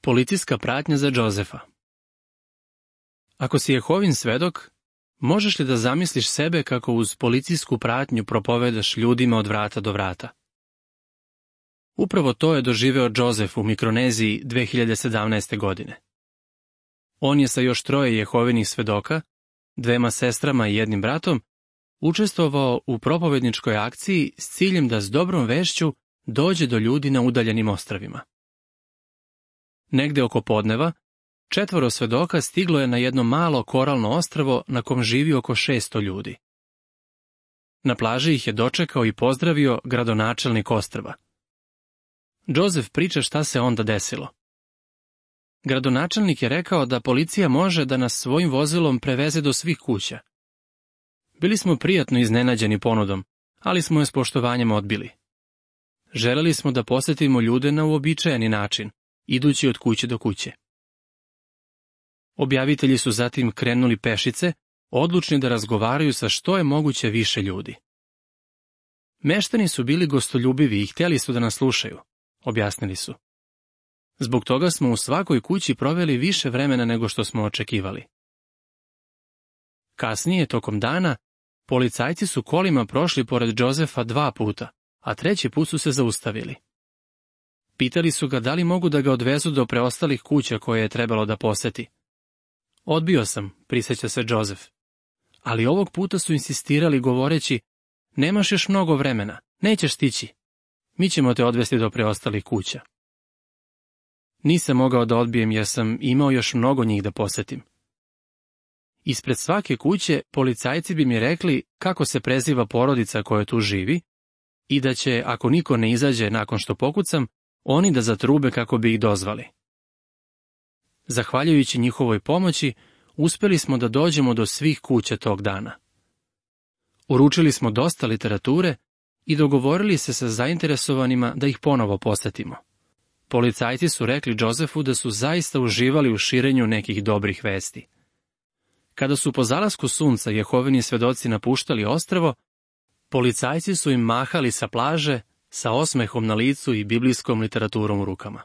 Policijska pratnja za Džozefa. Ako si Jehovin svedok, možeš li da zamisliš sebe kako uz policijsku pratnju propovedaš ljudima od vrata do vrata? Upravo to je doživeo Džozef u Mikroneziji 2017. godine. On je sa još 3 Jehovinih svedoka, 2 sestrama i 1 bratom, učestvovao u propovedničkoj akciji s ciljem da s dobrom vešću dođe do ljudi na udaljenim ostrvima. Negde oko podneva, 4 svedoka stiglo je na jedno malo koralno ostrvo na kom živi oko 600 ljudi. Na plaži ih je dočekao i pozdravio gradonačelnik ostrva. Džozef priča šta se onda desilo. Gradonačelnik je rekao da policija može da nas svojim vozilom preveze do svih kuća. Bili smo prijatno iznenađeni ponudom, ali smo je s poštovanjem odbili. Želeli smo da posetimo ljude na uobičajeni način, idući od kuće do kuće. Objavitelji su zatim krenuli pešice, odlučni da razgovaraju sa što je moguće više ljudi. Meštani su bili gostoljubivi i htjeli su da nas slušaju, objasnili su. Zbog toga smo u svakoj kući proveli više vremena nego što smo očekivali. Kasnije, tokom dana, policajci su kolima prošli pored Džozefa 2 puta, a 3. put su se zaustavili. Pitali su ga da li mogu da ga odvezu do preostalih kuća koje je trebalo da poseti. Odbio sam, prisjeća se Džozef. Ali ovog puta su insistirali govoreći, nemaš još mnogo vremena, nećeš stići. Mi ćemo te odvesti do preostalih kuća. Nisam mogao da odbijem jer sam imao još mnogo njih da posetim. Ispred svake kuće policajci bi mi rekli kako se preziva porodica koja tu živi i da će, ako niko ne izađe nakon što pokucam, oni da zatrube kako bi ih dozvali. Zahvaljujući njihovoj pomoći, uspeli smo da dođemo do svih kuća tog dana. Uručili smo dosta literature i dogovorili se sa zainteresovanima da ih ponovo posetimo. Policajci su rekli Džozefu da su zaista uživali u širenju nekih dobrih vesti. Kada su po zalasku sunca Jehovini svedoci napuštali ostrvo, policajci su im mahali sa plaže sa osmehom na licu i biblijskom literaturom u rukama.